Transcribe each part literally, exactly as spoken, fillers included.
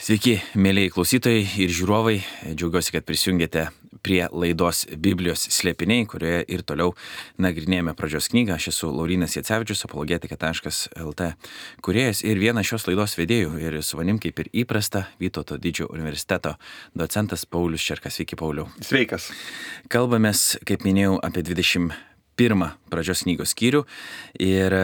Sveiki, mėlyjei klausytojai ir žiūrovai. Džiaugiuosi, kad prisijungėte prie laidos Biblijos slėpiniai, kurioje ir toliau nagrinėjame pradžios knygą. Aš esu Laurynas Jacevičius, apologetika taškas lt kūrėjas ir vienas šios laidos vedėjų. Ir su manim, kaip ir įprasta, Vytauto Didžiojo universiteto docentas Paulius Čerkas. Sveiki, Pauliau. Sveikas. Kalbamės, kaip minėjau, apie dvidešimt pirmą pradžios knygos skyrių. Ir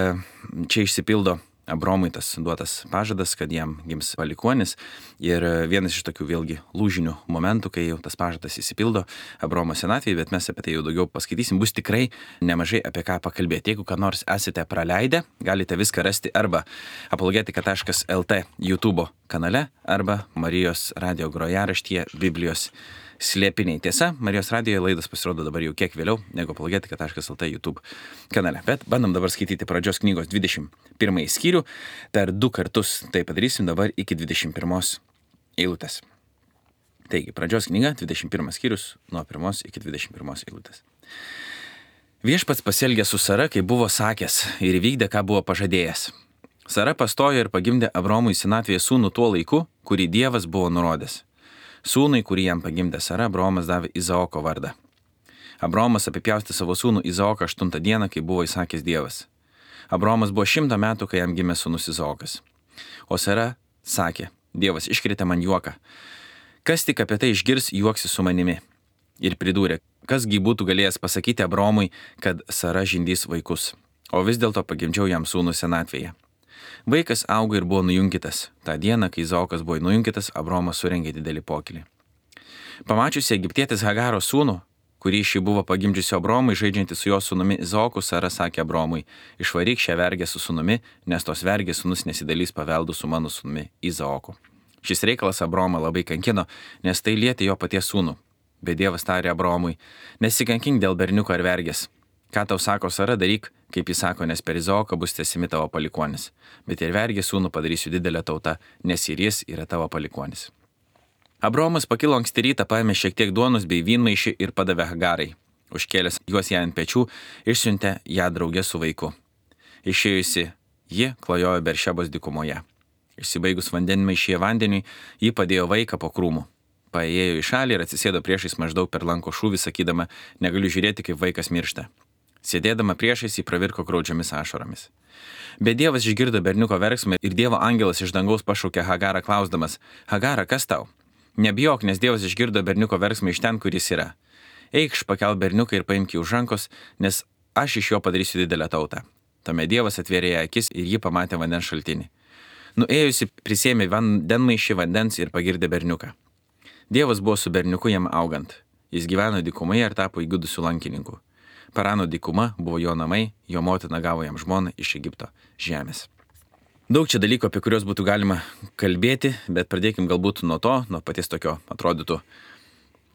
čia išsipildo Abromui tas duotas pažadas, kad jam gims palikuonis. Ir vienas iš tokių vėlgi lūžinių momentų, kai jau tas pažadas įsipildo Abromo senatvėje, bet mes apie tai jau daugiau paskaitysim, bus tikrai nemažai apie ką pakalbėti. Jeigu ką nors esate praleidę, galite viską rasti arba apologetika taškas lt YouTube kanale, arba Marijos radio grojaraštyje Biblijos slėpiniai. Tiesa, Marijos radijoje laidas pasirodo dabar jau kiek vėliau negu apologetika taškas lt YouTube kanale. Bet bandom dabar skaityti pradžios knygos dvidešimt pirmąjį skyrių. Per du kartus tai padarysim dabar iki dvidešimt pirmos eilutės. Taigi, pradžios knyga, dvidešimt pirmas skyrius, nuo pirmos iki dvidešimt pirmos eilutės. Viešpats pasielgė su Sara, kaip buvo sakęs, ir įvykdė, ką buvo pažadėjęs. Sara pastojo ir pagimdė Abromui senatvėje sūnų tuo laiku, kurį Dievas buvo nurodęs. Sūnui, kurį jam pagimdė Sara, Abromas davė Izaoko vardą. Abromas apipjaustė savo sūnų Izaoką aštuntą dieną, kai buvo įsakęs Dievas. Abromas buvo šimtą metų, kai jam gimė sūnus Izaokas. O Sara sakė, Dievas iškrėtė man juoką. Kas tik apie tai išgirs, juoksi su manimi. Ir pridūrė, kasgi būtų galėjęs pasakyti Abromui, kad Sara žindys vaikus. O vis dėlto pagimdžiau jam sūnų senatvėje. Vaikas augo ir buvo nujunkytas. Ta diena, kai Izaokas buvo nujunkytas, Abromas surengė didelį pokylį. Pamačiusi egiptietės Hagaro sūnų, kurį šį buvo pagimdžiusi Abromui, žaidžianti su jo sūnumi Izaoku, Sara sakė Abromui, išvaryk šią vergę su sūnumi, nes tos vergės sūnus nesidalys paveldų su mano sūnumi Izaoku. Šis reikalas Abromą labai kankino, nes tai lietė jo paties sūnų. Bet Dievas tarė Abromui, nesikankink dėl berniuko ar vergės. Ką tau sako Sara, daryk, kaip jis sako, nes per Izaoką bus tęsimi tavo palikuonis. Bet ir vergės sūnų padarysiu didelę tautą, nes ir jis yra tavo palikuonis. Abromas pakilo anksti rytą, paėmė šiek tiek duonos bei vynmaišį ir padavė Hagarai. Užkėlęs juos ją ant pečių, išsiuntė ją draugė su vaiku. Išėjusi, ji klajojo Beršebos dykumoje. Išsibaigus vandenmaišyje vandeniui, ji padėjo vaiką po krūmų. Paėjo į šalį ir atsisėdo priešais maždaug per lanko šūvį, sakydama, negaliu žiūrėti, kaip vaikas miršta. Sėdėdama priešais jį pravirko graudžiomis ašaromis. Bet Dievas išgirdo berniuko verksmą ir Dievo angelas iš dangaus pašaukė Hagarą klausdamas, Hagara, kas tau? Nebijok, nes Dievas išgirdo berniuko verksmą iš ten, kur jis yra. Eikš, pakel berniuką ir paimk jį už rankos, nes aš iš jo padarysiu didelę tautą. Tuomet Dievas atvėrė ją akis ir ji pamatė vandens šaltinį. Nuėjusi prisėmė vandenmaišį vandens ir pagirdė berniuką. Dievas buvo su berniuku jam augant. Jis gyveno dykumoje ir tapo įgudusiu lankininku. Parano dykuma buvo jo namai, jo motina gavo jam žmoną iš Egipto žemės. Daug čia dalykų, apie kuriuos būtų galima kalbėti, bet pradėkim galbūt nuo to, nuo paties tokio atrodytų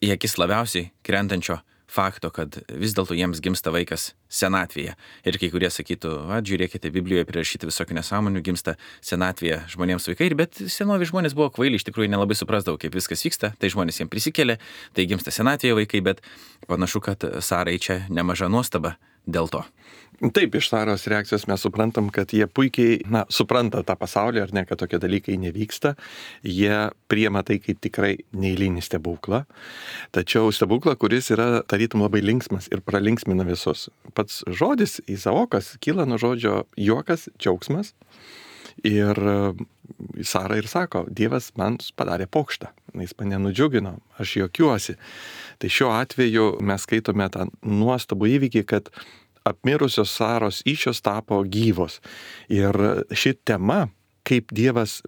į akis labiausiai krentančio fakto, kad vis dėlto jiems gimsta vaikas senatvėje. Ir kai kurie sakytų, va, žiūrėkite, Biblijoje prirašyti visokių nesąmonių, gimsta senatvėje žmonėms vaikai, bet senovi žmonės buvo kvaili, iš tikrųjų nelabai suprasdavo, kaip viskas vyksta, tai žmonės jiems prisikėlė, tai gimsta senatvėje vaikai, bet panašu, kad Sarai čia nemaža nuostaba dėl to. Taip, iš Saros reakcijos mes suprantam, kad jie puikiai, na, supranta tą pasaulį, ar ne, kad tokie dalykai nevyksta. Jie priema tai kaip tikrai neeilinį stebuklą. Tačiau stebuklą, kuris yra tarytum labai linksmas ir pralinksmina visus. Pats žodis Izaokas kyla nuo žodžio juokas, džiaugsmas. Ir Sara ir sako, Dievas man padarė pokštą, jis mane nudžiugino, aš juokiuosi. Tai šiuo atveju mes skaitome tą nuostabų įvykį, kad apmirusios Saros įsčios tapo gyvos. Ir ši tema, kaip Dievas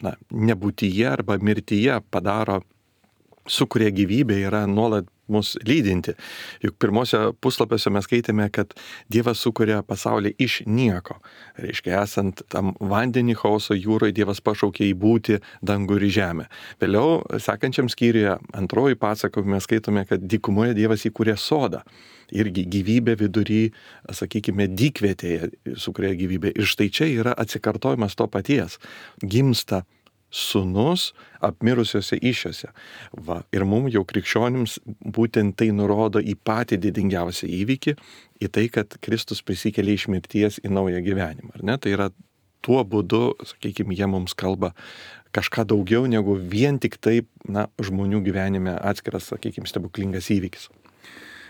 na, nebūtyje arba mirtyje padaro, sukuria gyvybę, yra nuolat mus lydinti. Juk pirmose puslapiuose mes skaitėme, kad Dievas sukuria pasaulį iš nieko. Reiškia, esant tam vandenį chaoso jūroje, Dievas pašaukė į būti dangų ir žemę. Vėliau, sekančiam skyriuje, antroji pasakojime, mes skaitome, kad dykumoje Dievas įkūrė sodą. Irgi gyvybė vidury, sakykime, dykvietėje sukuria gyvybė. Ir štai čia yra atsikartojimas to paties. Gimsta sūnus apmirusiuose įsčiose. Va, ir mums jau krikščionims būtent tai nurodo į patį didingiausią įvykį, į tai, kad Kristus prisikėlė iš mirties į naują gyvenimą. Ar ne? Tai yra tuo būdu, sakykime, jie mums kalba, kažką daugiau negu vien tik taip, na, žmonių gyvenime atskiras, sakykime, stebuklingas įvykis.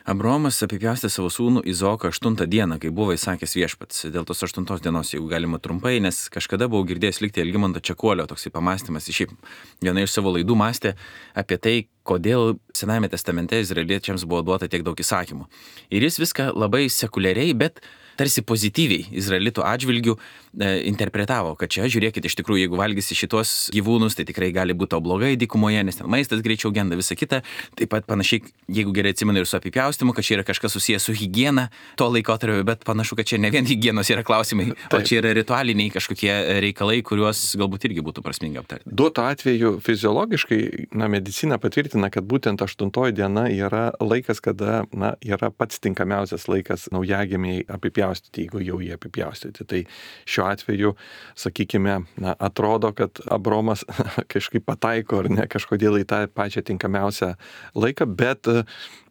Abraomas apipjaustė savo sūnų Izaoką aštuntą dieną, kai buvo įsakęs viešpats. Dėl tos aštuntos dienos, jeigu galima trumpai, nes kažkada buvau girdėjęs likti Algimanto Čekuolio toksai pamąstymas. Šiaip viena iš savo laidų mąstė apie tai, kodėl Senajame testamente izraeliečiams buvo duota tiek daug įsakymų. Ir jis viską labai sekuliariai, bet tarsi pozityviai izraelitų atžvilgių e, interpretavo, kad čia, žiūrėkit, iš tikrųjų, jeigu valgysi šitos gyvūnus, tai tikrai gali būti blogai dykumoje, nes ten maistas greičiau genda, visa kita. Taip pat panašiai, jeigu gerai atsimenu ir su apipjaustymu, kad čia yra kažkas susijęs su higiena to laikotarpio, bet panašu, kad čia ne vien higienos yra klausimai, Taip. o čia yra ritualiniai kažkokie reikalai, kuriuos galbūt irgi būtų prasminga aptarti. Duotu atveju fiziologiškai, na, medicina patvirtina, kad būtent aštuntoji diena yra laikas, kada, na, yra pats tinkamiausias laikas naujagimiai apipjaustyti, jeigu jau jie apipjaustyti. Tai šiuo atveju, sakykime, na, atrodo, kad Abromas kažkaip pataiko ar ne kažkodėl į tą pačią tinkamiausią laiką, bet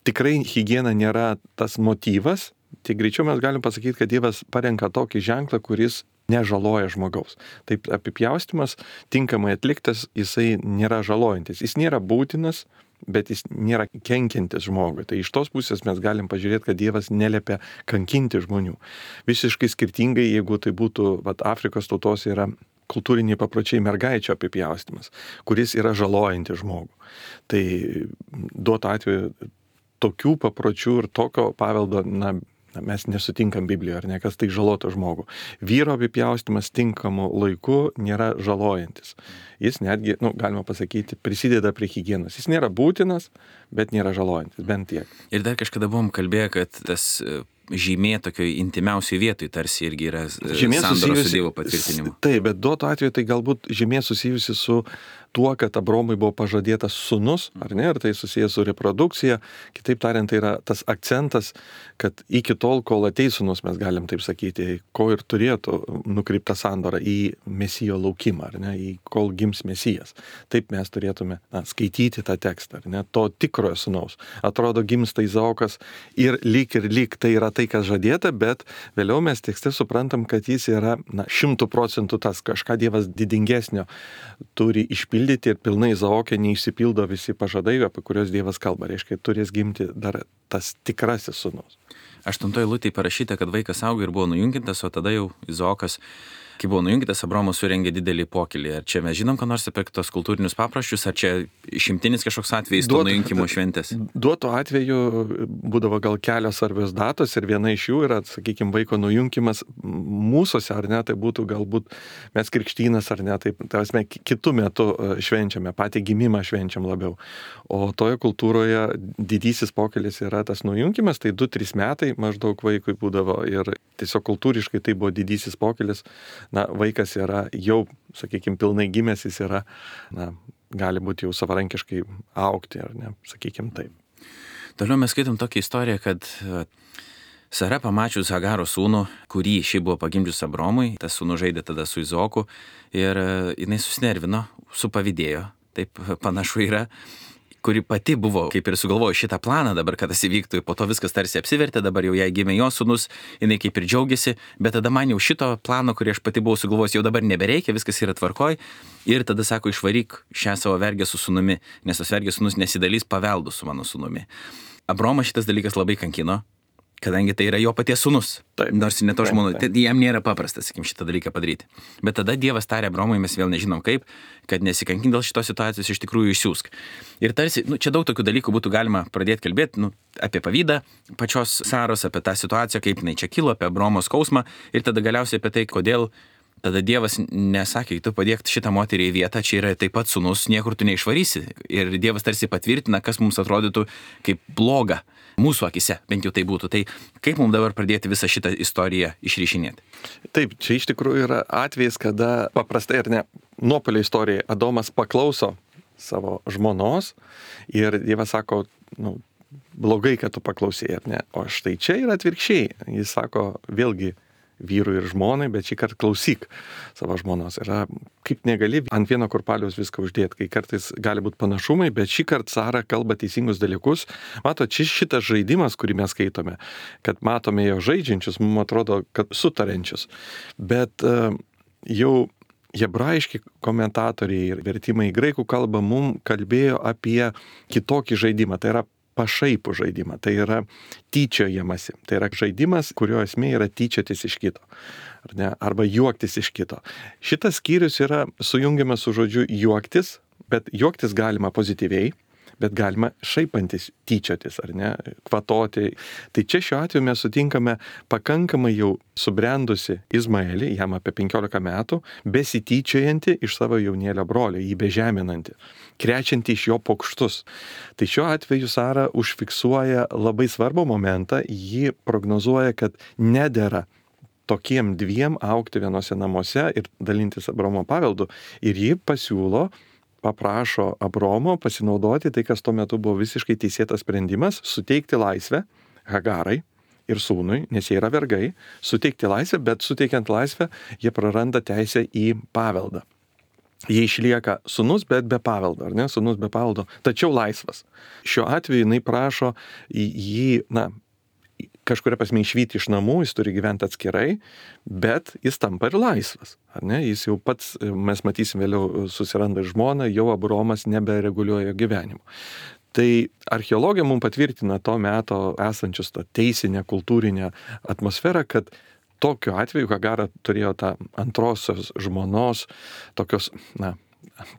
tikrai higiena nėra tas motyvas. Tai greičiau mes galim pasakyti, kad Dievas parenka tokį ženklą, kuris nežaloja žmogaus. Taip, apipjaustymas tinkamai atliktas, jisai nėra žalojantis. Jis nėra būtinas, bet jis nėra kenkiantis žmogui. Tai iš tos pusės mes galim pažiūrėti, kad Dievas neliepia kankinti žmonių. Visiškai skirtingai, jeigu tai būtų, vat, Afrikos tautos yra kultūriniai papročiai mergaičio apipjaustymas, kuris yra žalojantis žmogų. Tai duotu atveju tokių papročių ir tokio paveldo, na, mes nesutinkam Biblijoje, ar ne, kas tai žaloto žmogų. Vyro apipjaustymas tinkamu laiku nėra žalojantis. Jis netgi, nu, galima pasakyti, prisideda prie higienos. Jis nėra būtinas, bet nėra žalojantis, bent tiek. Ir dar kažkada buvom kalbėję, kad tas žymė tokioj intimiausioj vietoj tarsi irgi yra sandoros su Dievo patvirtinimu. Taip, bet duotu atveju tai galbūt žymė susijusi su tuo, kad Abromui buvo pažadėtas sūnus, ar ne, ir tai susijęs su reprodukcija. Kitaip tariant, tai yra tas akcentas, kad iki tol, kol ateis sūnus, mes galim taip sakyti, ko ir turėtų nukreipta sandora į mesijo laukimą, ar ne, į kol gims mesijas. Taip mes turėtume, na, skaityti tą tekstą, ar ne, to tikrojo sūnaus. Atrodo, gimsta Izaokas ir lyg ir lyg tai yra tai, kas žadėta, bet vėliau mes tekste suprantam, kad jis yra, na, šimtų procentų tas kažką Dievas didingesnio turi išpildyti ir pilnai Izaoke neišsipildo visi pažadai, apie kuriuos Dievas kalba. Reiškia, turės gimti dar tas tikrasis sūnus. Aštuntoje eilutėje parašyta, kad vaikas augo ir buvo nujunkintas, o tada jau Izaokas, kai buvo nujunkintas, Abraomas surengė didelį pokylį. Ar čia mes žinom, ką nors apie tos kultūrinius papročius, ar čia išimtinis kažkoks atvejis to nujunkimo šventės? Duotu atveju būdavo gal kelios svarbios datos ir viena iš jų yra, sakykime, vaiko nujunkimas mūsųse, ar ne, tai būtų galbūt mes krikštynas, ar ne, tai tarsi kitų metų švenčiame, patį gimimą švenčiam labiau. O toje kultūroje didysis pokylis yra tas nujunkimas, tai du trys metai maždaug vaikui būdavo ir tiesiog kultūriškai tai buvo didysis pokylis. Na, vaikas yra jau, sakykime, pilnai gimęs, jis yra, na, gali būti jau savarankiškai augti, ar ne, sakykime taip. Toliau mes skaitom tokią istoriją, kad Sara pamačius Hagaro sūnų, kurį šiaip buvo pagimdžius Abromui, tas sūnus žaidė tada su Izaoku ir jinai susinervino, supavydėjo, taip panašu yra, kuri pati buvo, kaip ir sugalvojo šitą planą dabar, kad tas įvyktų, po to viskas tarsi apsivertė, dabar jau jai gimė jos sūnus, jinai kaip ir džiaugiasi, bet tada man jau šito plano, kurį aš pati buvau sugalvojęs, jau dabar nebereikia, viskas yra tvarkoj, ir tada sako, išvaryk šią savo vergę su sūnumi, nes tas vergės sūnus nesidalys paveldų su mano sūnumi. Abromą šitas dalykas labai kankino, kadangi tai yra jo paties sūnus, taip, nors ne to žmona, tai jam nėra paprasta, sakykim, šitą dalyką padaryti. Bet tada Dievas tarė Abromui, mes vėl nežinom kaip, kad nesikankink dėl šitos situacijos, iš tikrųjų išsiųsk. Ir tarsi, nu, čia daug tokių dalykų būtų galima pradėti kalbėti, nu, apie pavydą pačios Saros, apie tą situaciją, kaip jinai čia kilo, apie Abromo skausmą ir tada galiausiai apie tai, kodėl tada Dievas nesakė, tu padėk šitą moterį į vietą, čia yra taip pat sūnus, niekur tu neišvarysi. Ir Dievas tarsi patvirtina, kas mums atrodytų kaip bloga mūsų akise, bent jau tai būtų. Tai kaip mums dabar pradėti visą šitą istoriją išryšinėti? Taip, čia iš tikrųjų yra atvejis, kada paprastai ar ne, nuopolio istorija, Adomas paklauso savo žmonos ir Dievas sako, nu, blogai, kad tu paklausėjai, ar ne? O štai čia yra atvirkščiai. Jis sako, vėlgi, vyrui ir žmonai, bet šį kartą klausyk savo žmonos. Yra, kaip negali ant vieno kurpaliaus viską uždėti, kai kartais gali būti panašumai, bet šį kartą Sara kalba teisingus dalykus. Mato, čia šitas žaidimas, kurį mes skaitome, kad matome jo žaidžiančius, mums atrodo, kad sutarančius. Bet uh, jau hebrajiški komentatoriai ir vertimai į graikų kalbą mums kalbėjo apie kitokį žaidimą, tai yra pašaipų žaidimą, tai yra tyčiojamasi, tai yra žaidimas, kurio esmė yra tyčiotis iš kito, ar ne? Arba juoktis iš kito. Šitas skyrius yra sujungiamas su žodžiu juoktis, bet juoktis galima pozityviai, bet galima šaipantis, tyčiotis, ar ne, kvatoti. Tai čia šiuo atveju mes sutinkame pakankamai jau subrendusi Izmaelį, jam apie penkiolika metų, besityčiojantį iš savo jaunėlio brolio, jį bežeminantį, krečiantį iš jo pokštus. Tai šiuo atveju Sara užfiksuoja labai svarbų momentą, ji prognozuoja, kad nedera tokiem dviem augti vienose namuose ir dalintis Abraomo paveldu. Ir ji pasiūlo, paprašo Abraomo pasinaudoti tai, kas tuo metu buvo visiškai teisėtas sprendimas, suteikti laisvę Hagarai ir sūnui, nes jie yra vergai, suteikti laisvę, bet suteikiant laisvę, jie praranda teisę į paveldą. Jie išlieka sūnus, bet be paveldo, ar ne? Sūnus be paveldo, tačiau laisvas. Šiuo atveju jinai prašo jį, na, kažkuria prasme išvyti iš namų, jis turi gyventi atskirai, bet jis tampa ir laisvas. Ar ne? Jis jau pats, mes matysim vėliau, susiranda žmoną, jau Abraomas nebereguliuoja gyvenimo. Tai archeologija mums patvirtina to meto esančius tą teisinę, kultūrinę atmosferą, kad tokiu atveju Hagara turėjo tą antrosios žmonos, tokios, na,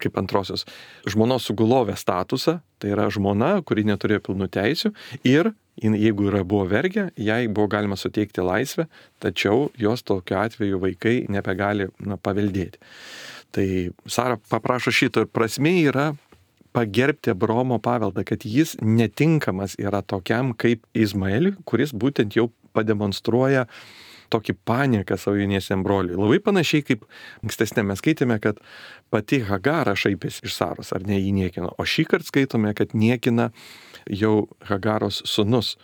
kaip antrosios žmonos sugulovę statusą, tai yra žmona, kuri neturėjo pilnų teisių ir jeigu yra buvo vergė, jai buvo galima suteikti laisvę, tačiau jos tokiu atveju vaikai nebegali, na, paveldėti. Tai Sara paprašo šito ir prasmė yra pagerbti Abraomo paveldą, kad jis netinkamas yra tokiam kaip Izmaeliui, kuris būtent jau pademonstruoja tokį panieką savo jauniesiam broliui. Labai panašiai kaip ankstesnė mes skaitėme, kad pati Hagara šaipėsi iš Saros, ar ne, jį niekino. O šį kartą skaitome, kad niekina jau Hagaros sūnus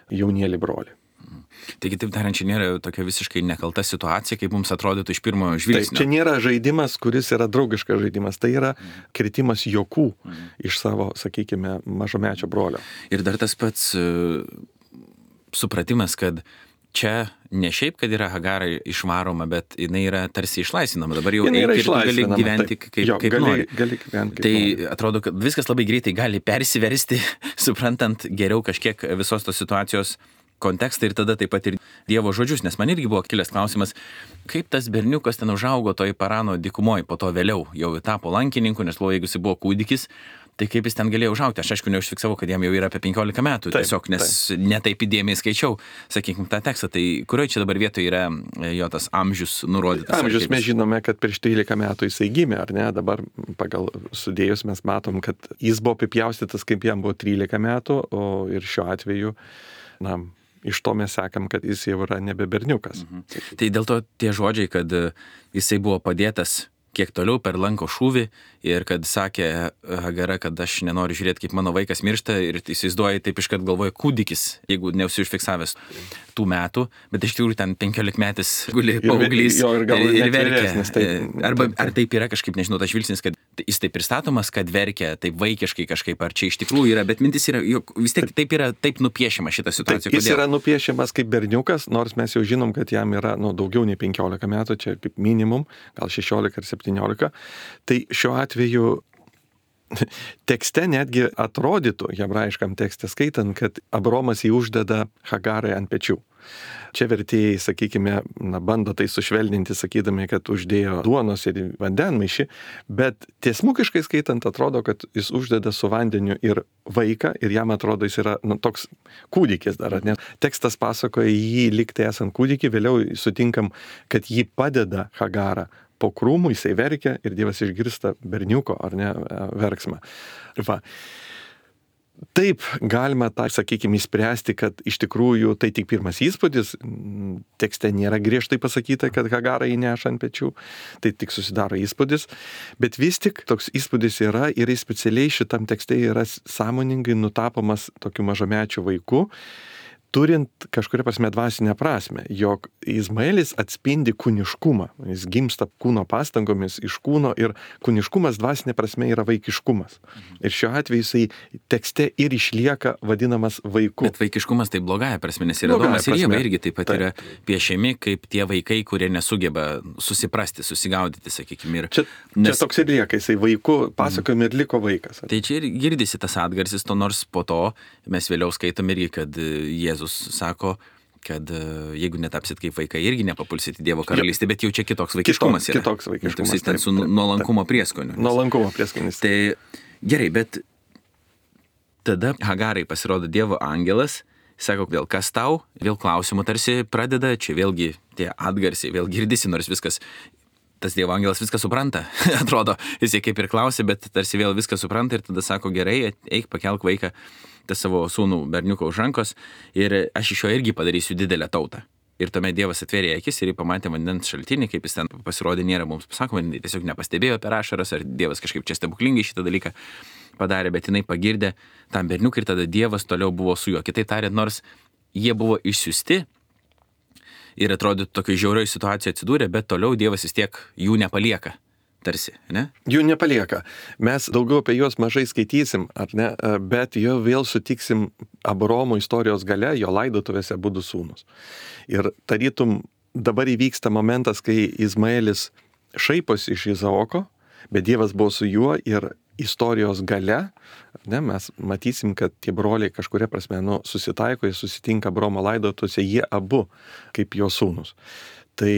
jaunėlį brolį. Taigi, taip tariant, čia nėra tokia visiškai nekalta situacija, kaip mums atrodytų iš pirmo žvilgsnio. Taip, čia nėra žaidimas, kuris yra draugiškas žaidimas, tai yra kritimas juokų mm. iš savo, sakykime, mažomečio brolio. Ir dar tas pats uh, supratimas, kad čia ne šiaip, kad yra Hagarai išvaroma, bet jinai yra tarsi išlaisvinama. Dabar jau eik ir gali gyventi taip. kaip, jo, kaip gali, nori. Gali gyventi, kaip tai nori. Atrodo, kad viskas labai greitai gali persiversti, suprantant geriau kažkiek visos tos situacijos kontekstą ir tada taip pat ir Dievo žodžius, nes man irgi buvo kilęs klausimas, kaip tas berniukas ten užaugo toj Parano dykumoje, po to vėliau jau tapo lankininku, nes buvo, jeigu jis buvo kūdikis, tai kaip jis ten galėjo užaugti. Aš aišku neužfiksavau, kad jam jau yra apie penkiolika metų, taip, tiesiog, nes taip. Netaip įdėmiai skaičiau, sakykime, tą tekstą. Tai kurioje čia dabar vietoje yra jo tas amžius nurodytas? Amžius mes žinome, kad prieš trylika metų jisai gimė, ar ne? Dabar pagal sudėjus mes matom, kad jis buvo apipjaustytas, kaip jam buvo trylika metų, o ir šiuo atveju, na, iš to mes sekam, kad jis jau yra nebe berniukas. Mhm. Tai dėl to tie žodžiai, kad jisai buvo padėtas kiek toliau per lanko šūvį ir kad sakė Hagara, kad aš nenoriu žiūrėti, kaip mano vaikas miršta ir įsivaizduoja taip iškart galvoja kūdikis, jeigu neusiužfiksavęs tų metų, bet iš tikrųjų ten penkiolikmetis guli paauglys ir, ir, ir, ir verkia. Tai, Arba ar taip yra kažkaip, nežinau, tas žvilgsnis, kad jis taip pristatomas, kad verkia taip vaikiškai kažkaip, ar čia iš tikrųjų yra, bet mintis yra, jog vis tiek taip yra taip nupiešiama šita situacija. Taip, jis yra nupiešiamas kaip berniukas, nors mes jau žinom, kad jam yra nu, daugiau nei penkiolika metų, čia kaip minimum, gal šešiolika ar septyniolika. Tai šiuo atveju tekste netgi atrodytų, hebrajiškam tekste skaitant, kad Abraomas jį uždeda Hagarai ant pečių. Čia vertėjai, sakykime, na, bando tai sušvelninti, sakydami, kad uždėjo duonos ir vandenmaišį, bet tiesmukiškai skaitant atrodo, kad jis uždeda su vandeniu ir vaiką ir jam atrodo, jis yra nu, toks kūdikis dar. Ne? Tekstas pasakoja jį likti esant kūdikį, vėliau sutinkam, kad jį padeda Hagara. Po krūmų jisai verkia ir Dievas išgirsta berniuko, ar ne, verksmą. Va. Taip galima tą, sakykime, įspręsti, kad iš tikrųjų tai tik pirmas įspūdis, tekste nėra griežtai pasakyta, kad Hagara jį neša ant pečių, tai tik susidaro įspūdis, bet vis tik toks įspūdis yra ir specialiai šitam tekste yra sąmoningai nutapomas tokiu mažamečiu vaiku. turint kažkuria prasme dvasinę prasme, jog Izmaelis atspindi kūniškumą. Jis gimsta kūno pastangomis iš kūno ir kūniškumas dvasinė prasme yra vaikiškumas. Ir šiuo atveju jisai tekste ir išlieka vadinamas vaiku. Bet vaikiškumas tai blogąja prasme, nes yra Blogąja Adomas ir Ieva prasme. irgi taip pat Taip. yra piešiami kaip tie vaikai, kurie nesugeba susiprasti, susigaudyti, sakykime. Ir, Čia, nes, čia toks ir lieka, jisai vaiku pasakojami ir liko vaikas. tai čia ir girdisi tas atgarsis, to nors po to mes vėliau skaitom irgi, kad Jėzus sako, kad jeigu netapsit kaip vaikai, irgi nepapulsit į Dievo karalystę, bet jau čia kitoks vaikiškumas Kitoks- yra. kitoks vaikiškumas, Toksai ten taip, su taip, nuolankumo prieskoniu. Nuolankumo prieskonis. Tai gerai, bet tada Hagarai pasirodo Dievo angelas, sako, vėl kas tau, vėl klausimų tarsi pradeda, čia vėlgi tie atgarsiai, vėl girdisi, nors viskas, tas Dievo angelas viską supranta, atrodo, jisai kaip ir klausė, bet tarsi vėl viską supranta ir tada sako, gerai, eik pakelk vaiką, tas savo sūnų berniuką už rankos ir aš iš jo irgi padarysiu didelę tautą. Ir tuomet Dievas atvėrė akis ir jį pamatė vandens šaltinį, kaip jis ten pasirodė, nėra mums pasakoma, jinai tiesiog nepastebėjo per ašaras, ar Dievas kažkaip čia stebuklingai šitą dalyką padarė, bet jinai pagirdė tam berniukui ir tada Dievas toliau buvo su juo. Kitaip tariant, nors jie buvo išsiųsti ir atrodytų tokio žiaurioj situacijoje atsidūrė, bet toliau Dievas vis tiek jų nepalieka. Tarsi, ne? Jų nepalieka. Mes daugiau apie juos mažai skaitysim, ar ne, bet jo vėl sutiksim Abraomo istorijos gale, jo laidotuvėse būdų sūnus. Ir tarytum dabar įvyksta momentas, kai Izmaelis šaiposi iš Izaoko, bet Dievas buvo su juo ir istorijos gale, ne, mes matysim, kad tie broliai kažkuria prasme nu, susitaiko, jie susitinka Abraomo laidotuvėse, jie abu kaip jo sūnus. Tai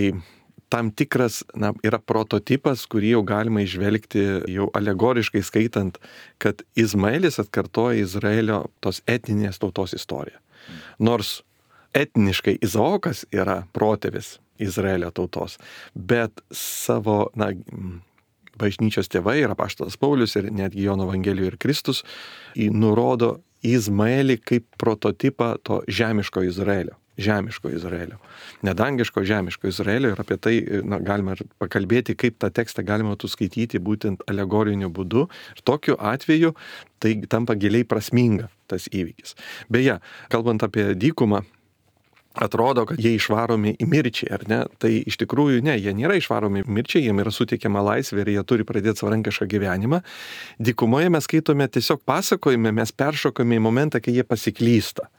tam tikras na, yra prototipas, kurį jau galima išvelgti jau alegoriškai skaitant, kad Izmaelis atkartoja Izraelio tos etninės tautos istoriją. Nors etniškai Izaokas yra protėvis Izraelio tautos, bet savo na, bažnyčios tėvai ir apaštalas Paulius ir netgi Jono Evangelijoje ir Kristus nurodo Izmaelį kaip prototipą to žemiško Izraelio. Žemiško Izraelio. Nedangiško, žemiško Izraelio ir apie tai na, galima ir pakalbėti, kaip tą tekstą galima tu skaityti būtent alegoriniu būdu. Ir tokiu atveju tai tampa giliai prasminga tas įvykis. Beje, kalbant apie dykumą, atrodo, kad jie išvaromi į mirčiai, ar ne? Tai iš tikrųjų ne, jie nėra išvaromi į mirčiai, jiems yra suteikiama laisvė ir jie turi pradėti savarankišką gyvenimą. Dykumoje mes skaitome tiesiog pasakojime, mes peršokame į momentą, kai jie pasiklysta.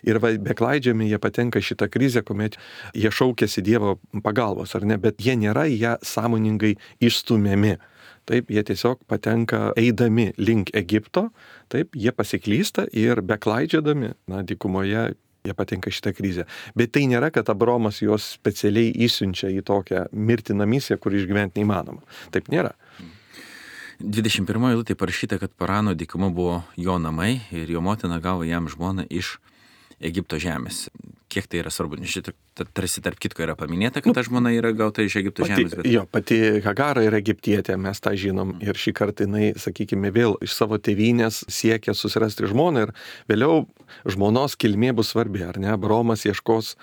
Ir va, beklaidžiami jie patenka šitą krizę, kuomet jie šaukėsi Dievo pagalbos, ar ne, bet jie nėra ją sąmoningai išstumiami. Taip, jie tiesiog patenka eidami link Egipto, taip, jie pasiklysta ir beklaidžiadami, na, dykumoje jie patenka šitą krizę. Bet tai nėra, kad Abraomas juos specialiai įsiunčia į tokią mirtiną misiją, kur išgyventi neįmanoma. Taip nėra. dvidešimt pirmoje eilutėje parašyta, kad Parano dykuma buvo jo namai ir jo motina gavo jam žmoną iš Egipto žemės. Kiek tai yra svarbu? Nes šitą tarsi tarp kitko yra paminėta, kad ta žmona yra gauta iš Egipto pati, žemės. Bet... Jo, pati Hagara yra egiptietė, mes tą žinom. Ir šį kartą jinai, sakykime, vėl iš savo tėvynės siekia susirasti žmoną ir vėliau žmonos kilmė bus svarbi, ar ne? Abraomas ieškos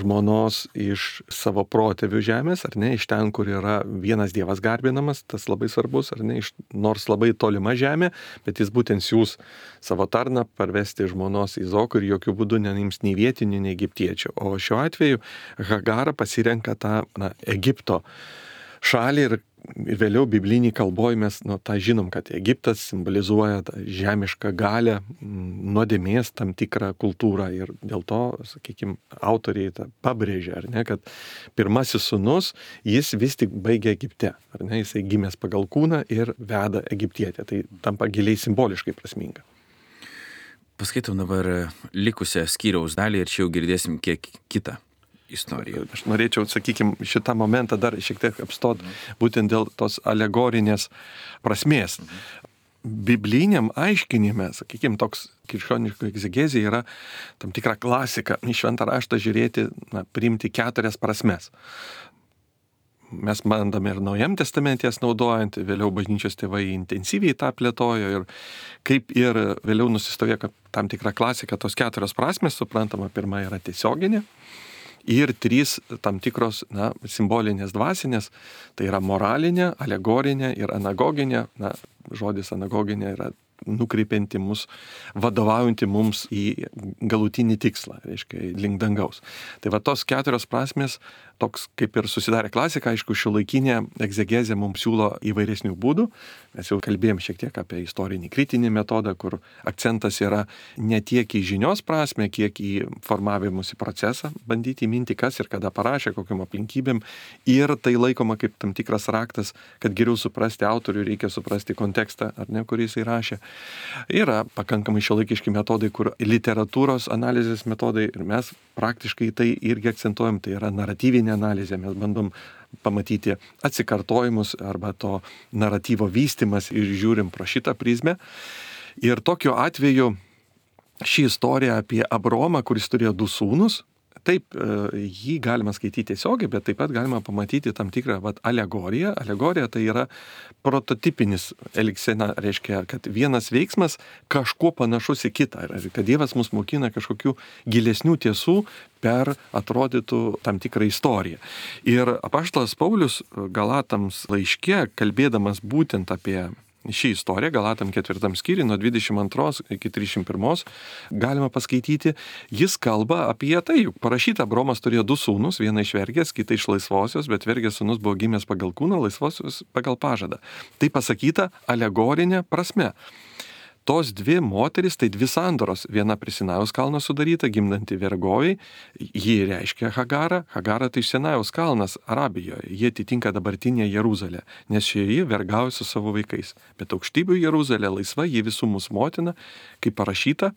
žmonos iš savo protėvių žemės, ar ne? Iš ten, kur yra vienas Dievas garbinamas, tas labai svarbus, ar ne? Iš, nors labai tolima žemė, bet jis būtent siūs savo tarną parvesti žmonos Izokų ir jokių būdų neims nei vietinių, nei egiptiečių. O šiuo atveju Hagara pasirenka tą na, Egipto šalį ir, ir vėliau biblinį kalboj mes nu, tą žinom, kad Egiptas simbolizuoja tą žemišką galę, nuodėmės tam tikrą kultūrą ir dėl to, sakykime, autoriai tą pabrėžia, ar ne, kad pirmasis sūnus, jis vis tik baigia Egipte, ar ne, jisai gimęs pagal kūną ir veda egiptietę, tai tampa giliai simboliškai prasminga. Paskaitom dabar likusią skyriaus dalį ir čia jau girdėsim kiek kitą istoriją. Aš norėčiau, sakykime, šitą momentą dar šiek tiek apstot būtent dėl tos alegorinės prasmės. Bibliniam aiškinime, sakykime, toks krikščioniško egzegezija yra tam tikra klasika į šventą raštą žiūrėti, na, priimti keturias prasmes. Mes bandame ir Naujam testamente jas naudojant, vėliau bažnyčios tėvai intensyviai tą plėtojo ir kaip ir vėliau nusistovėjo tam tikra klasika, tos keturios prasmės, suprantama, pirma yra tiesioginė ir trys tam tikros na, simbolinės dvasinės, tai yra moralinė, alegorinė ir anagoginė. Na, žodis anagoginė yra nukreipianti mus, vadovaujanti mums į galutinį tikslą, reiškia, link dangaus. Tai va tos keturios prasmės, toks kaip ir susidarė klasika, aišku, šiuolaikinė egzegezė mums siūlo įvairesnių būdų. Mes jau kalbėjom šiek tiek apie istorinį kritinį metodą, kur akcentas yra ne tiek į žinios prasme, kiek į formavimusi procesą, bandyti įminti, kas ir kada parašė, kokiam aplinkybėm. Ir tai laikoma kaip tam tikras raktas, kad geriau suprasti autorių, reikia suprasti kontekstą, ar ne, kurį jis įrašė. Yra pakankamai šiuolaikiški metodai, kur literatūros analizės metodai, ir mes praktiškai tai irgi akcentuojam, tai yra naratyvinė analizė. Mes bandom pamatyti atsikartojimus arba to naratyvo vystimas ir žiūrim pro šitą prizmę. Ir tokiu atveju ši istorija apie Abromą, kuris turėjo du sūnus, taip, jį galima skaityti tiesiogiai, bet taip pat galima pamatyti tam tikrą vat, alegoriją. Alegorija tai yra prototipinis elgsena, reiškia, kad vienas veiksmas kažkuo panašus į kitą, kad Dievas mus mokina kažkokių gilesnių tiesų per atrodytų tam tikrą istoriją. Ir apaštalas Paulius Galatams laiške, kalbėdamas būtent apie šį istoriją, Galatam ketvirtam skyriui, nuo dvidešimt antros iki trisdešimt pirmos, galima paskaityti, jis kalba apie tai, juk parašyta, Abromas turėjo du sūnus, vieną iš vergės, kitą iš laisvosios, bet vergės sūnus buvo gimęs pagal kūną, laisvosios pagal pažadą. Tai pasakyta alegorinė prasme. Tos dvi moteris, tai dvi sandoros, viena prie Sinajaus kalno sudaryta, gimdanti vergovai, ji reiškia Hagarą, Hagara tai Sinajaus kalnas Arabijoje, jie atitinka dabartinę Jeruzalę, nes šie vergauja su savo vaikais. Bet aukštybių Jeruzalė laisva, ji visų mūsų motina, kaip parašyta,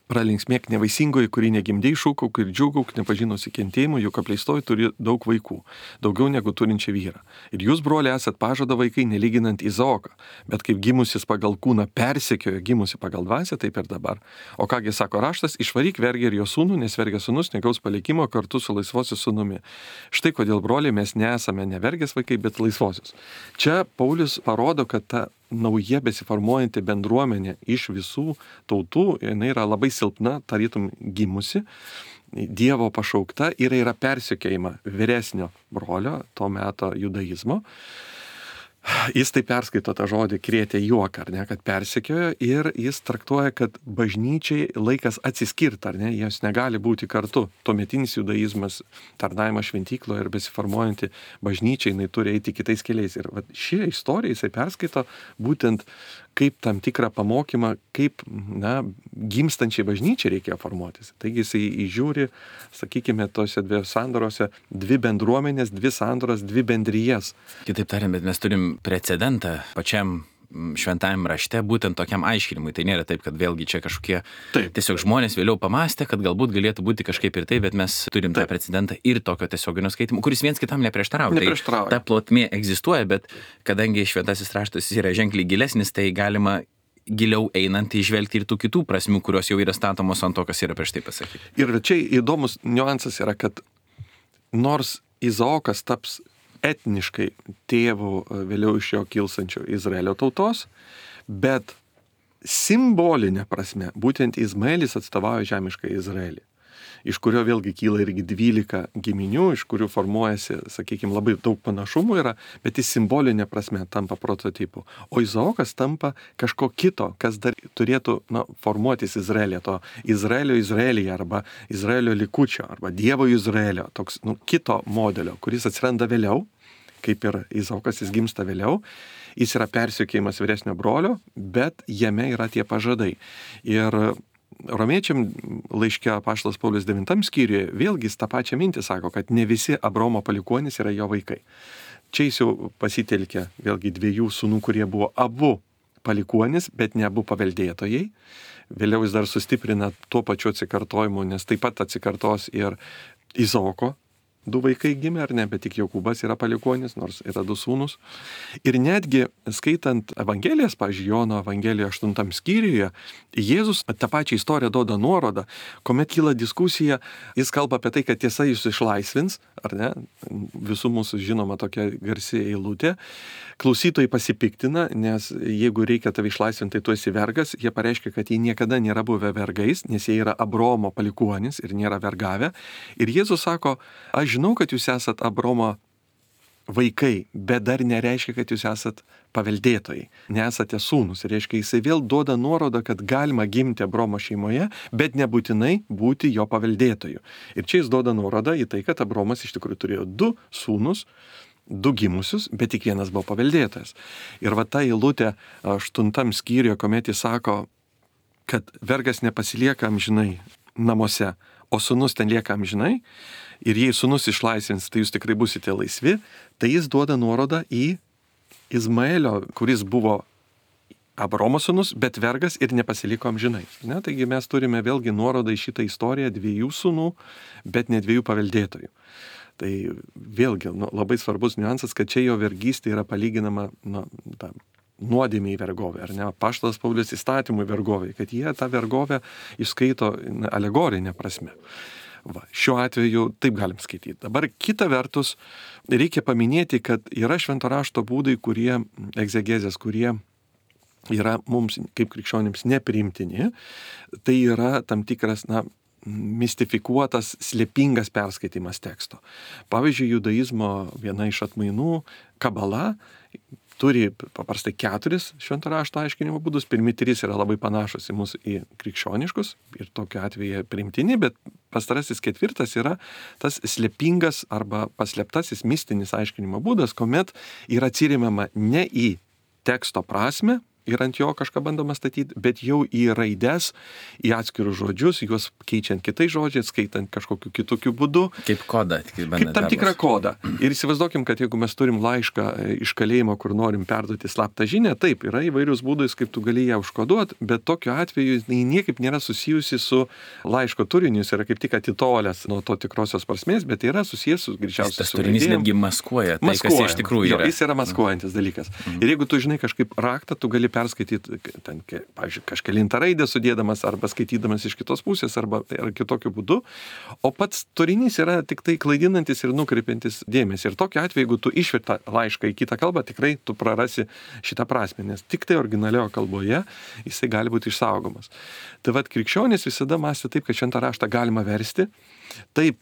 pralinksmėk nevaisingoji, kuri negimdei, šūkauk ir džiūgauk, nepažinusi kentėjimų, juk apleistoji turi daug vaikų, daugiau negu turinčią vyrą. Ir jūs, broliai, esat pažado vaikai, nelyginant Izaoką, bet kaip gimusis pagal kūną persekiojo gimusi pagal dvasią, taip ir dabar. O kągi sako raštas, išvaryk vergę ir jo sūnų, nes vergės sūnus negaus palikimo kartu su laisvosios sūnumi. Štai kodėl, broliai, mes nesame ne vergės vaikai, bet laisvosios. Čia Paulius parodo, kad ta nauja besiformuojanti bendruomenė iš visų tautų, jinai yra labai silpna, tarytum gimusi, Dievo pašaukta ir yra persekiojama vyresnio brolio, to meto judaizmo. Jis tai perskaito tą žodį krėtė juoką, ar ne, kad persekiojo ir jis traktuoja, kad bažnyčiai laikas atsiskirti, ar ne, jos negali būti kartu. Tuometinis judaizmas, tarnavimas šventykloje ir besiformuojanti bažnyčiai, jinai turi eiti kitais keliais. Ir va, ši istorija jisai perskaito būtent kaip tam tikrą pamokymą, kaip, na, gimstančiai bažnyčiai reikia formuotis. Taigi jisai įžiūri, sakykime, tose dvi sandorose, dvi bendruomenės, dvi sandoras, dvi bendrijas. Kitaip tariant, bet mes turim precedentą pačiam šventajam rašte būtent tokiam aiškinimui. Tai nėra taip, kad vėlgi čia kažkokie taip. Tiesiog žmonės vėliau pamastė, kad galbūt galėtų būti kažkaip ir tai, bet mes turim taip. Tą precedentą ir tokio tiesioginio skaitimo, kuris viens kitam neprieštarauja. Neprieštarauja. Tai ta plotmė egzistuoja, bet kadangi šventasis raštas yra ženkliai gilesnis, tai galima giliau einant įžvelgti ir tų kitų prasmių, kurios jau yra statomos ant to, kas yra prieš tai pasakyti. Ir čia įdomus niuansas yra, kad nors Izaokas taps etniškai tėvų vėliau iš jo kilsančio Izraelio tautos, bet simbolinė prasme būtent Izmaelis atstovauja žemišką Izraelį, iš kurio vėlgi kyla irgi dvylika giminių, iš kurių formuojasi, sakykime, labai daug panašumų yra, bet jis simbolinė prasme tampa prototipu. O Izaokas tampa kažko kito, kas dar turėtų, na, formuotis Izraelė, to Izraelio Izraelyje arba Izraelio likučio arba Dievo Izraelio, toks, nu, kito modelio, kuris atsiranda vėliau, kaip ir Izaokas, jis gimsta vėliau, jis yra persekiojimas vyresnio brolio, bet jame yra tie pažadai. Ir Romiečiam laiške apaštalas Paulius devintam skyriuje vėlgi tą pačią mintį sako, kad ne visi Abromo palikuonys yra jo vaikai. Čia jis jau pasitelkia vėlgi dviejų sūnų, kurie buvo abu palikuonys, bet ne abu paveldėtojai. Vėliau jis dar sustiprina tuo pačiu atsikartojimu, nes taip pat atsikartos ir Izaoko du vaikai gimė, ar ne, bet tik Jokūbas yra palikuonis, nors yra du sūnus. Ir netgi skaitant Evangelijas, pavyzdžiui, Jono Evangelijoje aštuntam skyriuje, Jėzus tą pačią istoriją duoda nuorodą, kuomet kyla diskusija, jis kalba apie tai, kad tiesa jūs išlaisvins, ar ne, visų mūsų žinoma tokia garsi eilutė. Klausytojai pasipiktina, nes jeigu reikia tave išlaisvinti, tai tu esi vergas, jie pareiškia, kad jie niekada nėra buvę vergais, nes jie yra Abromo palikuonis ir nėra vergavę. Ir Jėzus sako, aš žinau, kad jūs esat Abromo vaikai, bet dar nereiškia, kad jūs esat paveldėtojai, nesate sūnus. Reiškia, jisai vėl duoda nuorodą, kad galima gimti Abromo šeimoje, bet nebūtinai būti jo paveldėtoju. Ir čia jis duoda nuorodą į tai, kad Abromas iš tikrųjų turėjo du sūnus, du gimusius, bet tik vienas buvo paveldėtojas. Ir va ta eilutė aštuntam skyriuje, kuomet jis sako, kad vergas nepasilieka amžinai namuose, o sūnus ten lieka amžinai, ir jei sūnus išlaisvins, tai jūs tikrai busite laisvi, tai jis duoda nuorodą į Izmaelio, kuris buvo Abromo sūnus, bet vergas ir nepasiliko amžinai. Ne? Taigi mes turime vėlgi nuorodą į šitą istoriją dviejų sūnų, bet ne dviejų paveldėtojų. Tai vėlgi nu, labai svarbus niuansas, kad čia jo vergystė yra palyginama nu, ta, nuodėmė į vergovę, ar ne? Apaštalas Paulius įstatymų vergovė, kad jie tą vergovę išskaito alegorinę prasme. Va, šiuo atveju taip galim skaityti. Dabar kita vertus, reikia paminėti, kad yra švento rašto būdai, kurie, egzegezės, kurie yra mums kaip krikščionims nepriimtini. Tai yra tam tikras, na, mistifikuotas, slėpingas perskaitimas teksto. Pavyzdžiui, judaizmo viena iš atmainų, kabala, turi paprastai keturis švento rašto aiškinimo būdus. Pirmi trys yra labai panašus į mūsų į krikščioniškus ir tokiu atveju priimtini, bet pastarasis ketvirtas yra tas slėpingas arba paslėptasis mistinis aiškinimo būdas, kuomet yra atsiremiama ne į teksto prasme ir ant jo kažką bandoma statyti, bet jau į raides, į atskirus žodžius, juos keičiant kitais žodžiais, skaitant kažkokiu kitokiu būdu. Kaip kodą. Kaip tam tikrą kodą. Ir įsivaizduokim, kad jeigu mes turim laišką iš kalėjimo, kur norim perduoti slaptą žinią, taip, yra įvairius būdais, kaip tu gali ją užkoduoti, bet tokiu atveju jis niekaip nėra susijusi su laiško turiniu, jis yra kaip tik atitolęs nuo to tikrosios prasmės, bet yra susijęs su greičiausiai. Tas turinys netgi maskuoja tai, maskuoja. Kas iš tikrųjų yra. Jo, jis yra maskuojantis dalykas. Mhm. Ir jeigu tu žinai kažkaip raktą, tu gali perskaityti, ten, pavyzdžiui, kažkelintą raidę sudėdamas arba skaitydamas iš kitos pusės arba ar kitokiu būdu, o pats turinys yra tik tai klaidinantis ir nukreipiantis dėmesį. Ir tokiu atveju, jeigu tu išverti laišką į kitą kalbą, tikrai tu prarasi šitą prasmę, nes tik tai originalioje kalboje jisai gali būti išsaugomas. Tai vad, krikščionys visada mąstė taip, kad šventą raštą galima versti. Taip,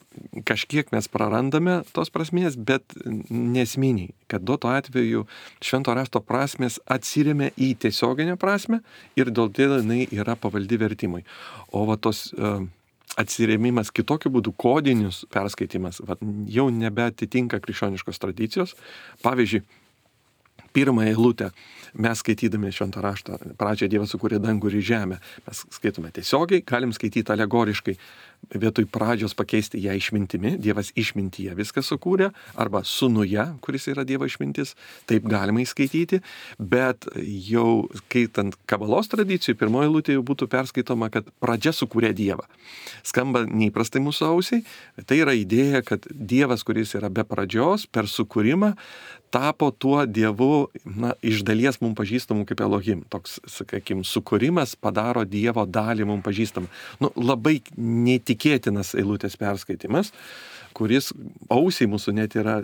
kažkiek mes prarandame tos prasmės, bet nesminiai, kad duoto atveju švento rašto prasmės atsiremia į tiesioginę prasmę ir dėl to jinai yra pavaldi vertimui. O va tos uh, atsiremimas kitokiu būdu, kodinius perskaitimas, va, jau nebeatitinka krikščioniškos tradicijos. Pavyzdžiui, pirmąją eilutę mes skaitydami šventą raštą, pradžią Dievas sukūrė dangų ir žemę, mes skaitome tiesiogiai, galim skaityti alegoriškai, vietoj pradžios pakeisti ją išmintimi, Dievas išmintyje viską sukūrė, arba sūnuje, kuris yra Dievo išmintis, taip galima įskaityti, bet jau skaitant kabalos tradicijų, pirmoji eilutė jau būtų perskaitoma, kad pradžia sukūrė Dievą. Skamba neįprastai mūsų ausiai, tai yra idėja, kad Dievas, kuris yra be pradžios, per sukūrimą, tapo tuo Dievu, na, iš dalies mums pažįstamų kaip Elohim. Toks, sakykim, sukūrimas padaro Dievo dalį mums pažįstamą. Nu, labai neįtikėtinas eilutės perskaitimas, kuris ausiai mūsų net yra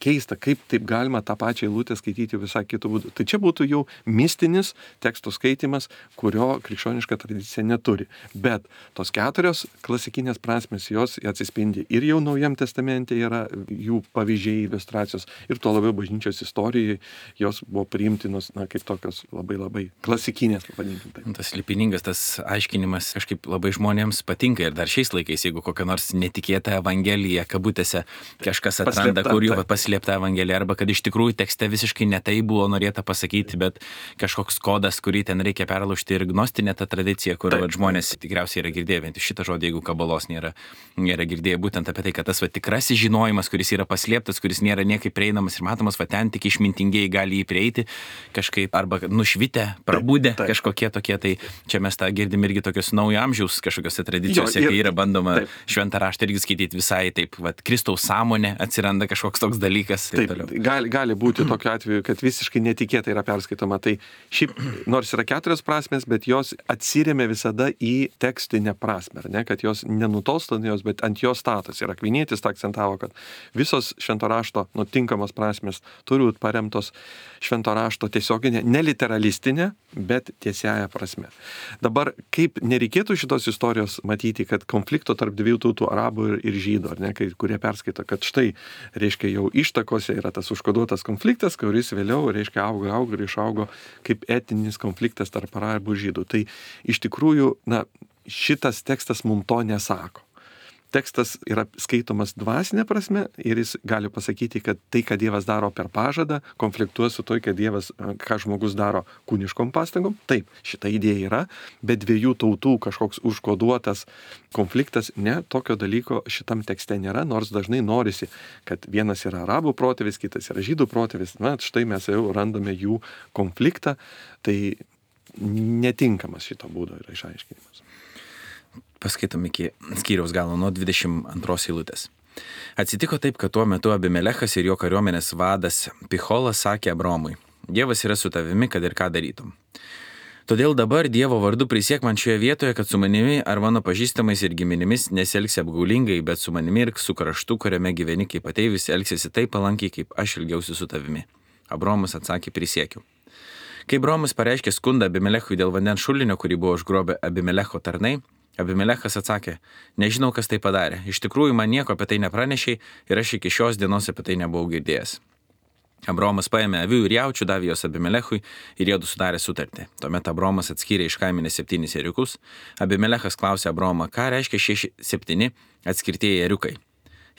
keista, kaip taip galima tą pačią eilutę skaityti visai kitų būdų. Tai čia būtų jau mistinis tekstų skaitimas, kurio krikščioniška tradicija neturi. Bet tos keturios klasikinės prasmės, jos atsispindi ir jau Naujam testamente yra jų pavyzdžiai, iliustracijos, ir tuo labiau bažnyčios istorijoje jos buvo priimtinos, na, kaip tokios labai labai klasikinės, vadinkim. Tas lipiningas, tas aiškinimas kažkaip labai žmonėms patinka ir dar šiais laikais, jeigu kokia nors netikėta evangelija kabutėse kažkas atranda, paslėpta, kur jau paslėpta evangelija, arba kad iš tikrųjų tekste visiškai ne tai buvo norėta pasakyti, bet kažkoks kodas, kurį ten reikia perlaužti, ir gnostinė ta tradicija, kur va, žmonės tikriausiai yra girdėję, bent šitą žodį, jeigu kabalos nėra, nėra girdėję, būtent apie tai, kad tas va, tikrasis žinojimas, kuris yra paslėptas, kuris nėra niekaip prieinamas ir matomas, va ten tik išmintingieji gali jį prieiti kažkaip, arba nušvitę, prabudę taip, taip. Kažkokie tokie, tai čia mes tą girdim irgi tokios naujo amžiaus kažkokiose tradicijose, jo, ir, kai yra bandoma taip. Šventą raštą irgi skaityti visai taip, vat, Kristaus sąmonė, atsiranda kažkoks toks dalykas. Taip, taip gali, gali būti tokiu atveju, kad visiškai netikėtai yra perskaitoma. Tai šiaip, nors yra keturios prasmės, bet jos atsiremia visada į tekstinę prasmę, ne? Kad jos nenutolsta nuo jos, bet ant jos status. Ir Akvinietis tą akcentavo, kad visos švento rašto nutinkamos prasmės žemės turi būti paremtos švento rašto tiesioginė, neliteralistinė, bet tiesiaja prasme. Dabar kaip nereikėtų šitos istorijos matyti, kad konflikto tarp dviejų tautų, arabų ir, ir žydų, ar ne, kai, kurie perskaito, kad štai, reiškia, jau ištakose yra tas užkoduotas konfliktas, kuris vėliau, reiškia, auga, auga ir išaugo kaip etinis konfliktas tarp arabų ir žydų. Tai iš tikrųjų, na, šitas tekstas mums to nesako. Tekstas yra skaitomas dvasinė prasme ir jis gali pasakyti, kad tai, ką Dievas daro per pažadą, konfliktuoja su to, kad Dievas, ką žmogus daro kūniškom pastangom. Taip, šita idėja yra, bet dviejų tautų kažkoks užkoduotas konfliktas, ne, tokio dalyko šitam tekste nėra, nors dažnai norisi, kad vienas yra arabų protėvis, kitas yra žydų protėvis. Na, štai mes jau randame jų konfliktą, tai netinkamas šito būdo yra išaiškinimas. Paskaitom iki skyriaus galo nuo dvidešimt antros eilutės. Atsitiko taip, kad tuo metu Abimelechas ir jo kariuomenės vadas Picholas sakė Abromui, Dievas yra su tavimi, kad ir ką darytum. Todėl dabar Dievo vardu prisiek man šioje vietoje, kad su manimi ar mano pažįstamais ir giminimis nesielgsi apgaulingai, bet su manimi ir su kraštu, kuriame gyveni kaip ateivis, elgsiesi taip palankiai, kaip aš ilgiausi su tavimi. Abromas atsakė, prisiekiu. Kai Abromas pareiškė skundą Abimelechui dėl vandens šulinio, kurį buvo užgrobę Abimelecho tarnai, Abimelechas atsakė, nežinau, kas tai padarė. Iš tikrųjų, man nieko apie tai nepranešiai ir aš iki šios dienos apie tai nebuvau girdėjęs. Abromas paėmė avių ir jaučių, davė jos Abimelechui ir jiedu sudarė sutartį. Tuomet Abromas atskyrė iš kaimenės septynis ėriukus. Abimelechas klausė Abromą, ką reiškia šie septyni atskirtieji ėriukai.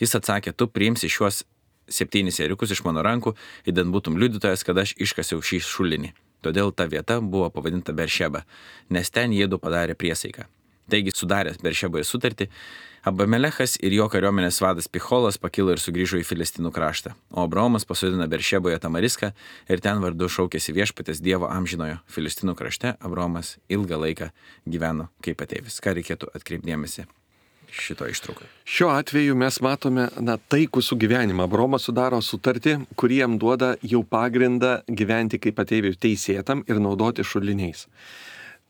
Jis atsakė, tu priimsi šiuos septynis ėriukus iš mano rankų, idant būtum liudytojas, kad aš iškasiau šį šulinį. Todėl ta vieta buvo pavadinta Beršeba, nes ten jiedu padarė priesaiką. Taigi, sudaręs Beršeboje sutartį, Abimelechas ir jo kariuomenės vadas Picholas pakilo ir sugrįžo į Filistinų kraštą, o Abromas pasodino Beršeboje Tamariską ir ten vardu šaukėsi viešpatės Dievo amžinojo. Filistinų krašte Abromas ilgą laiką gyveno kaip ateivis. Ką reikėtų atkreipdėmėsi šito ištraukai? Šiuo atveju mes matome, na, taikų sugyvenimą. Abromas sudaro sutartį, kurį jam duoda jau pagrindą gyventi kaip ateiviui teisėtam ir naudoti šuliniais.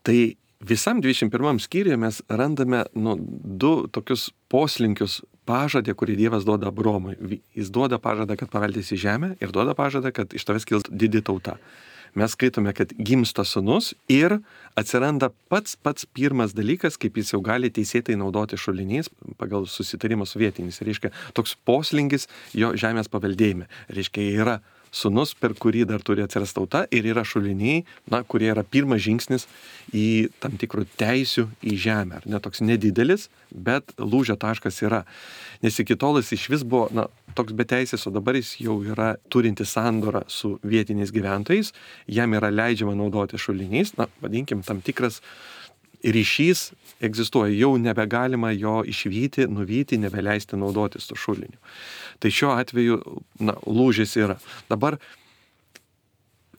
Tai visam dvidešimt pirmam skyriuje mes randame nu, du tokius poslinkius pažadę, kurį Dievas duoda Abromui. Jis duoda pažadą, kad paveldėsi žemę ir duoda pažadą, kad iš tavęs kils didi tauta. Mes skaitome, kad gimsta sūnus ir atsiranda pats pats pirmas dalykas, kaip jis jau gali teisėtai naudoti šuliniais pagal susitarimą su vietiniais. Reiškia, toks poslinkis jo žemės paveldėjime. Reiškia, yra sūnus, per kurį dar turi atsirasti tauta ir yra šuliniai, na, kurie yra pirmas žingsnis į tam tikrų teisių į žemę. Ne toks nedidelis, bet lūžio taškas yra. Nes iki tol jis iš vis buvo, na, toks beteisės, o dabar jis jau yra turinti sandorą su vietiniais gyventojais, jam yra leidžiama naudoti šuliniais, na, vadinkim, tam tikras ryšys egzistuoja, jau nebegalima jo išvyti, nuvyti, nebeleisti naudotis to šuliniu. Tai šiuo atveju, na, lūžis yra. Dabar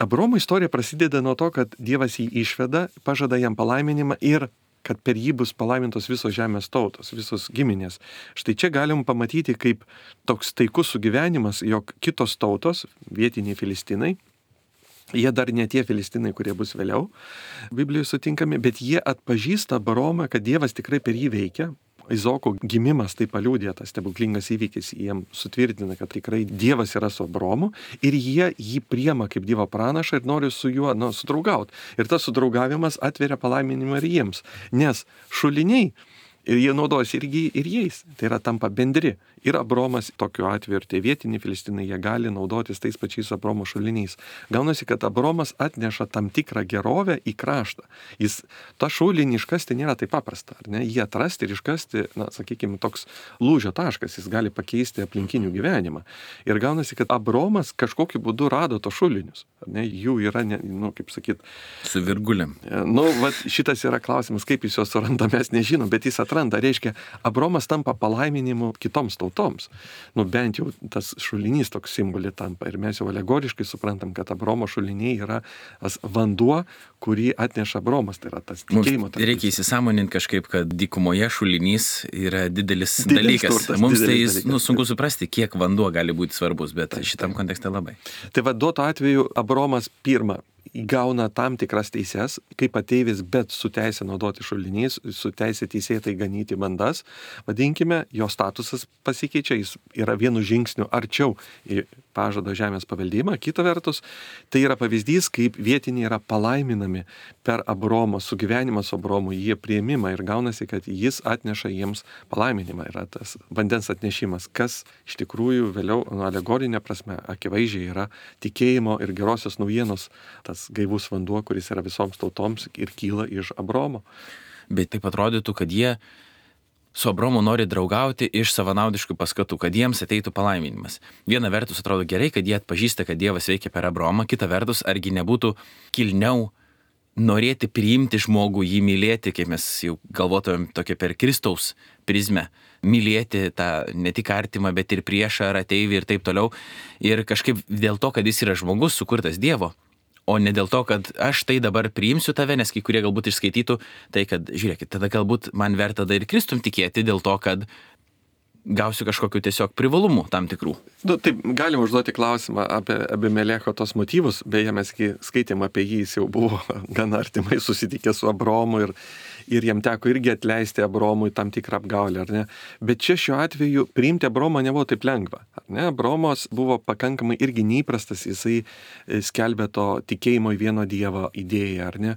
Abromo istorija prasideda nuo to, kad Dievas jį išveda, pažada jam palaiminimą ir kad per jį bus palaimintos visos žemės tautos, visos giminės. Štai čia galim pamatyti kaip toks taikus sugyvenimas, jog kitos tautos, vietiniai Filistinai, jie dar ne tie Filistinai, kurie bus vėliau Biblijoje sutinkami, bet jie atpažįsta Abromą, kad Dievas tikrai per jį veikia. Izoko gimimas tai paliudė, tas stebuklingas įvykis, jiem sutvirtina, kad tikrai Dievas yra su Abromu ir jie jį priema kaip Dievo pranašą ir nori su juo, nu, sudraugauti. Ir tas sudraugavimas atveria palaiminimą ir jiems, nes šuliniai ir jie naudojasi irgi ir jais, tai yra tampa bendri. Ir Abromas tokiu atveju ir tie vietiniai Filistinai, jie gali naudotis tais pačiais Abromo šuliniais. Gaunasi, kad Abromas atneša tam tikrą gerovę į kraštą. Jis tą šulinį iškasti nėra taip paprasta, ar ne? Jį atrasti ir iškasti, na, sakykime, toks lūžio taškas, jis gali pakeisti aplinkinių gyvenimą. Ir gaunasi, kad Abromas kažkokiu būdu rado to šulinius, ar ne? Jų yra, ne, nu, kaip sakyt, su virgulėm. Nu, vat, šitas yra klausimas, kaip jis juos suranda, mes nežinom, bet jis atranda, reiškia, Abromas tampa palaiminimu kitoms tautoms. Nu, bent jau tas šulinys toks simbolį tampa. Ir mes jau alegoriškai suprantam, kad Abromo šuliniai yra tas vanduo, kurį atneša Abromas. Tai yra tas tikėjimo. Mums reikia įsisąmoninti kažkaip, kad dykumoje šulinys yra didelis, didelis dalykas. turtas, Mums tai didelis dalykas. Nu, sunku suprasti, kiek vanduo gali būti svarbus, bet taip, šitam kontekste labai. Tai va, duoto atveju Abromas pirmą įgauna tam tikras teises, kaip ateivis, bet su teisė naudoti šuliniais, su teisė teisėtai ganyti bandas, vadinkime, jo statusas pasikeičia, jis yra vienu žingsniu arčiau į pažado žemės paveldėjimą. Kita vertus, tai yra pavyzdys, kaip vietiniai yra palaiminami per Abromo sugyvenimą su Abromu, jie priėmimą ir gaunasi, kad jis atneša jiems palaiminimą. Yra tas vandens atnešimas, kas iš tikrųjų vėliau nu, alegorinė prasme akivaizdžiai yra tikėjimo ir gerosios naujienos tas gaivus vanduo, kuris yra visoms tautoms ir kyla iš Abromo. Bet taip atrodytų, kad jie su Abromu nori draugauti iš savanaudiškų paskatų, kad jiems ateitų palaiminimas. Viena vertus atrodo gerai, kad jie atpažįsta, kad Dievas veikia per Abromą, kita vertus argi nebūtų kilniau norėti priimti žmogų, jį mylėti, kaip mes jau galvotumėm tokia per Kristaus prizmę, mylėti tą ne tik artimą, bet ir priešą ar ateivį ir taip toliau. Ir kažkaip dėl to, kad jis yra žmogus sukurtas Dievo, o ne dėl to, kad aš tai dabar priimsiu tave, nes kai kurie galbūt išskaitytų, tai kad, žiūrėkit, tada galbūt man verta tada ir Kristum tikėti dėl to, kad gausiu kažkokiu tiesiog privalumų tam tikrų. Nu, taip, galim užduoti klausimą apie Abimelecho tos motyvus, beje, mes skaitėm apie jį, jis jau buvo gana artimai susitikęs su Abromu ir, ir jam teko irgi atleisti Abromui tam tikrą apgaulę, ar ne? Bet čia šiuo atveju priimti Abromą nebuvo taip lengva, ar ne? Abromos buvo pakankamai irgi neįprastas, jisai skelbė to tikėjimo į vieno Dievo idėją, ar ne?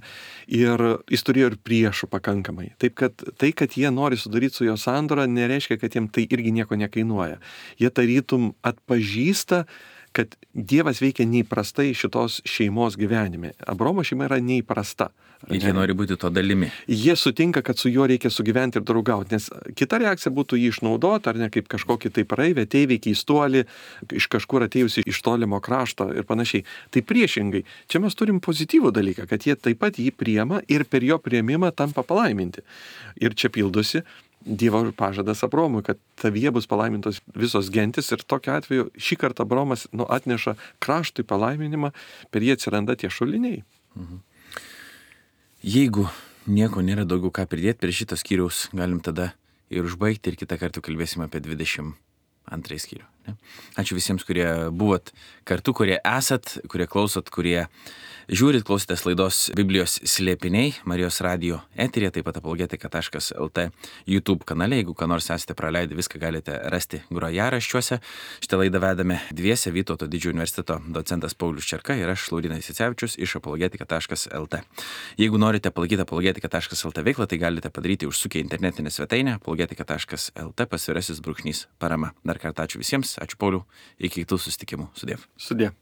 Ir jis turėjo ir priešų pakankamai. Taip, kad tai, kad jie nori sudaryti su jo sandorą, nereiškia, kad jiems tai irgi nieko nekainuoja. Jie tarytum atpažįsta, kad Dievas veikia neįprastai šitos šeimos gyvenime. Abromo šeima yra neįprasta. Ir jie nori būti to dalimi. Jie sutinka, kad su juo reikia sugyventi ir draugauti, nes kita reakcija būtų jį išnaudoti, ar ne, kaip kažkokį tai praeivę, ateivį, keistuolį, iš kažkur atėjusi iš tolimo krašto ir panašiai. Tai priešingai, čia mes turim pozityvų dalyką, kad jie taip pat jį priema ir per jo priėmimą tampa palaiminti. Ir čia pildosi Dievo pažadas Abromui, kad tavyje bus palaimintos visos gentis ir tokiu atveju šį kartą Abromas nu, atneša kraštui palaiminimą, per jį atsiranda tie šuliniai. Mhm. Jeigu nieko nėra daugiau ką pridėti prie šito skyriaus, galim tada ir užbaigti ir kitą kartą kalbėsime apie dvidešimt antrąjį skyrių. Ne? Ačiū visiems, kurie buvot kartu, kurie esat, kurie klausot, kurie žiūrit, klausotės laidos Biblijos slėpiniai Marijos radijo eteryje, taip pat apologetika taškas lt YouTube kanale. Jeigu ką nors esate praleidę, viską galite rasti grojaraščiuose. Šitą laidą vedame dviese, Vytauto Didžiojo universiteto docentas Paulius Čerka ir aš, Laurynas Jacevičius iš apologetika taškas lt. Jeigu norite palaikyti apologetika taškas lt veiklą, tai galite padaryti užsukę internetinę svetainę apologetika taškas lt pasvirasis brūkšnys parama. Dar kartą ačiū visiems, ačiū Pauliau, iki kitų susitikimų. Sudiev. Sudie.